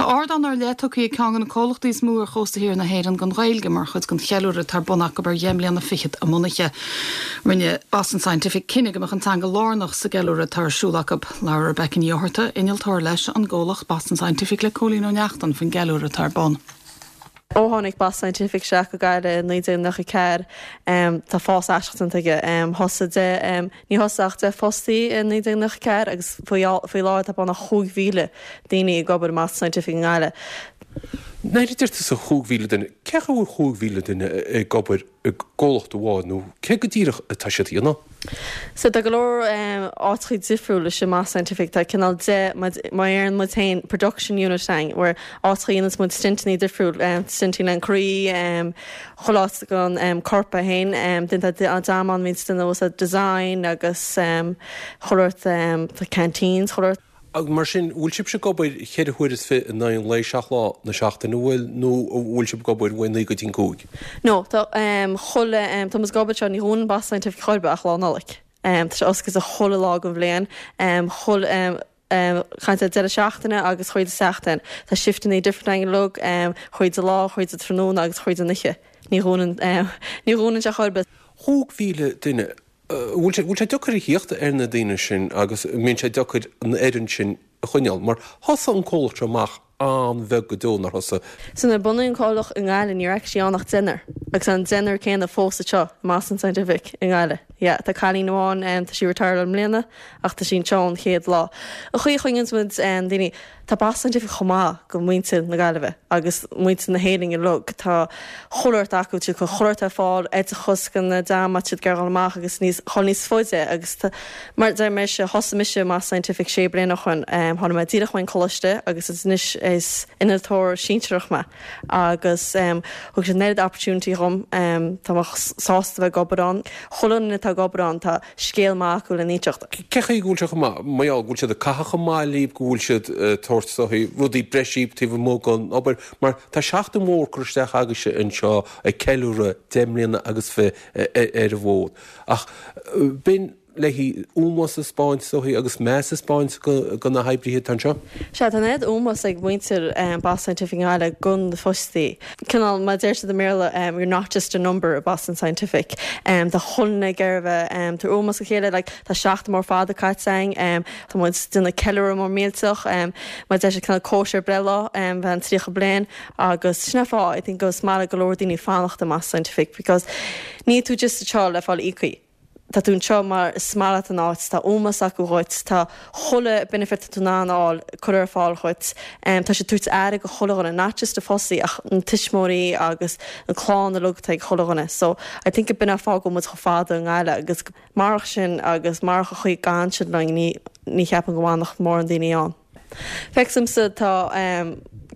Tá ardán ar leith tugtha ag ceann de na comhlachtaí is mó ar chósta thiar na hÉireann don Ghaeilge mar chuid den cheiliúradh atá ar bun acu ar dheich mbliana fichead a mbunaithe. Rinne Boston Scientific cinneadh go mbeadh an teanga lárnach sa gceiliúradh atá ar siúl acu. Labhair Rebecca Ní Fhátharta, innealtóir leis an gcomhlacht Boston Scientific le Cóilín Ó Neachtain faoin gceiliúradh atá ar bun. Ó tháinig Boston Scientific isteach go Gaillimh i 1994, tá fás aisteach déanta aige. Thosaigh deich, ní thosaigh ach 10 fostaí i 1994 agus faoi láthair tá beagnach 5,000 daoine ag obair i mBoston Scientific i nGaillimh. Nuair a deir tusa 5,000 duine, cé chaoi a bhfuil 5,000 duine ag obair i gcomhlacht amháin nó cé go díreach atá siad a dhéanamh? So tá go leor áiteachaí difriúla istigh i mBoston Scientific. Tá cineál de, mar a deireann muid féin, production unit againn, where áiteachaí a dhéananns muid stentannaí difriúil, stentannaí le an croí, chuile áit don corp é féin. Then tá an dream ann a bhíonns ag déanamh design agus chuile shórt, tá canteens, chuile shórt. Agus mar sin, bhfuil sibhse ag obair cheithre huaire is fiche in aghaidh an lae, seacht lá na seachtaine, an bhfuil, nó an bhfuil sibh ag obair uaidh naoi go dtí an cúig? No, tá chuile, tá muid ag obair anseo, ní dhúnann Boston Scientific chor ar bith ach Lá Nollag. Tá sé oscailte chuile lá den bhliain, chuile, caint ar deireadh seachtaine agus chuile seachtain. Tá shifteannaí different againn uilig, chuile lá, chuile tráthnóna agus chuile oíche. Ní dhúnann, ní dhúnann sé chor ar bith. 5,000 duine, Bhfuil sé, bhfuil sé deacair a thíocht ar na daoine sin agus an mbíonn sé deacair an fhoireann sin a choinneáil? Mar thosaigh an comhlacht seo amach an-bheag go deo, nár thosaigh? So nuair a bunaíodh an comhlacht i nGaillimh ní raibh actually ann ach deichniúr agus tá an deichniúr céanna fós anseo i mBoston Scientific i Ngaillimh. Yeah, tá cailín amháin, tá sí retired i mbliana ach tá sí anseo ón chéad lá. An chaoi a choinníonns muid daoine, Tá Boston Scientific chomh maith go muintir na Gaillimhe agus muintir na hÉireann uilig. Tá chuile shórt acu, tá siad ag cur chuile shórt ar fáil, oideachas do na dream má tá siad ag iarraidh dul amach agus níos, dhul níos faide agus tá, mar a deir mise, thosaigh mise i mBoston Scientific sé bliana ó shoin, tháinig mé díreach ón choláiste agus is anois is innealtóir sinsearach mé agus thug siad an oiread opportunity dhom, tá mé sásta bheith ag obair ann. Chuile dhuine atá ag obair ann, tá. scéal maith acu le n-inseacht. Cé chaoi go bhfuil sé chomh maith? Mar gheall go bhfuil siad ag caitheamh chomh maith libh, go bhfuil siad ag tabhairt is dóichí rudaí breise daoibh taobh amuigh den obair, mar tá seachtain mhór curtha isteach agaibhse anseo ag ceiliúradh 10 mbliana agus fi ar an bhfód. Ach b'in léi ómós a 'spáint is dóichí agus meas a 'spáint do na hoibrithe atá anseo. Sea, tá an oiread ómós ag muintir Boston Scientific i nGaillimh do na fostaí. Cineál, mar a deir siad i mBéarla, you're not just a number i Boston Scientific. Tá chuile dhuine ag iarraidh a bheith, tabhairt ómós do chéile, like, tá seachtain mór fada caite againn, tá muid ag déanamh ceiliúradh mór millteach, mar a deir siad, cineál cóisir breithlá, bheith an 30 bliain agus sin an fáth, I think, go is maith le go leor daoine fanacht i mBoston Scientific because níl tú just anseo le fáil íoctha. Tá tú anseo mar is maith leat an áit, tá ómós acu dhuit, tá chuile benefit atá tú in ann a fháil curtha ar fáil dhuit, tá siad ag tabhairt aire go chuile dhuine, not just na fostaí ach na tuismitheoirí agus an clann uilig atá ag chuile dhuine. So I think b'in an fáth go bhfuil muid chomh fada i nGaillimh agus marach sin agus marach an chaoi a gcaitheann siad linn ní ní cheapaim go bhfanfadh mórán daoine ann. Feicimse tá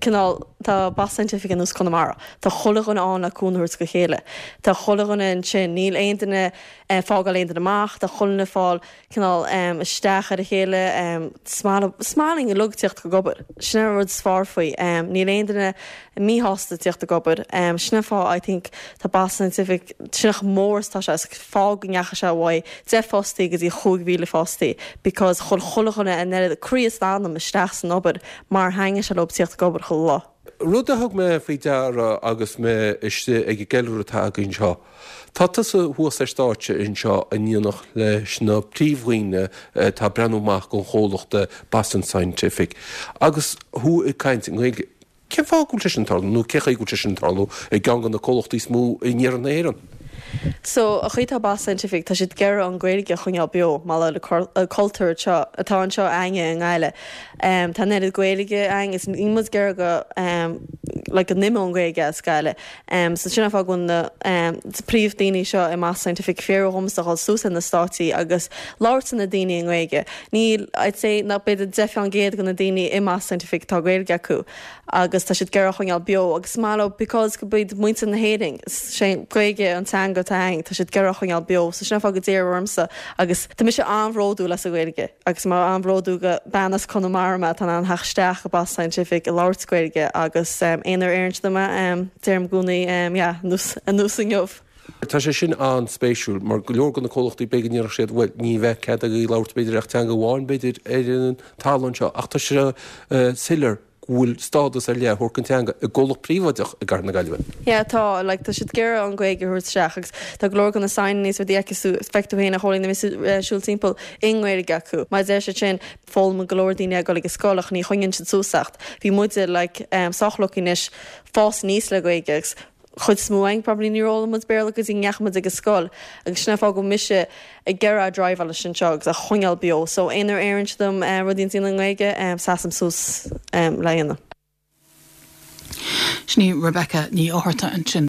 cineál, tá Boston Scientific ar nós Conamara. Tá chuile dhuine ann le cúnamh a thabhairt go chéile. Tá chuile dhuine ansin, níl aon duine ag fágáil aon duine amach, tá chuile dhuine ag fáil cineál isteach ar a chéile. Is maith linn uilig tíocht ag obair. Sin an rud is fearr faoi. Níl aon duine míshásta tíocht ag obair. Sin an fáth I think tá Boston Scientific, sin chomh mór is atá sé, is fáth go ndeachaigh sé uaidh 10 fostaí go dtí 5,000 fostaí because chuir chuile dhuine an oiread croí is anam isteach san obair mar thaitnigh sé leo tíocht ag obair chuile lá. Rud a thug mé faoi deara agus mé istigh ag an gceiliúradh atá againn anseo, tá tusa thuas ar stáitse anseo in éineacht leis na príomhdhaoine atá ag breathnú amach don chomhlacht Boston Scientific agus thú ag caint i nGaeilge. Cén fáth go bhfuil sé sin ag tarlú, nó cé chaoi go bhfuil sé sin ag tarlú i gceann de na comhlachtaí is mó in iarthar na hÉireann? So, an chaoi atá Boston Scientific, tá siad ag iarraidh an Ghaeilge a choinneáil beo, mar le cultúr anseo, atá anseo againne i nGaillimh. Tá an oiread Gaeilge againn, is níl muid ag iarraidh go, like, go n-imeodh an Ghaeilge as Gaillimh. So, sin an fáth go bhfuil na príomh-daoine seo i mBoston Scientific fiafraí dhomsa dhul suas ar na stáitsí agus labhairt le na daoine i nGaeilge. Níl, I'd say, nach b'fhéidir 10% de na daoine i mBoston Scientific atá Gaeilge acu agus tá siad ag iarraidh a choinneáil beo agus is maith leo because go b'iad muintir na hÉireann, sé Gaeilge an teanga atá againn, tá siad ag iarraidh a choinneáil beo so sin an fáth go d'iarradh ormsa agus tá mise an-bhródúil as an Ghaeilge agus mé an-bhródúil go bean as Conamara mé atá in ann theacht isteach go Boston Scientific ag labhairt Gaeilge agus aon uair a iarrann siad orm é deirim i gcónaí yeah anuas anuas inniu. Tá sé sin an-spéisiúil mar go leor de na comhlachtaí b'fhéidir go ndéarfadh siad bhuel ní bheadh cead agaibh labhairt b'fhéidir ach teanga amháin b'fhéidir ar an talamh anseo ach tá sé soiléir. go bhfuil stádas ar leith á thabhairt don teanga i gcomhlacht príobháideach i gCathair na Gaillimhe. Yeah tá, like tá siad ag iarraidh an Ghaeilge a thabhairt isteach agus tá go leor de na signeanna is rudaí a fheicfidh tú féin a Chóilín nuair a bhíonn tú ag siúl timpeall i nGaeilge acu. Mar a deir siad sin, foghlaimíonn go leor daoine ag dul ag an scoil ach ní choinníonn siad suas ach bhí muide like sách lucky anois fás aníos le Gaeilge agus chuid is mó againn probably níor fhoghlaim muid Béarla go dtí go ndeachaigh muid ag an scoil agus sin an fáth go bhfuil mise ag iarraidh driveáil leis anseo agus a choinneáil beo so aon uair a iarrann siad orm rudaí a dhéanamh i nGaeilge seasaim suas le dhéanamh. Sin í Rebecca Ní Fhátharta ansin.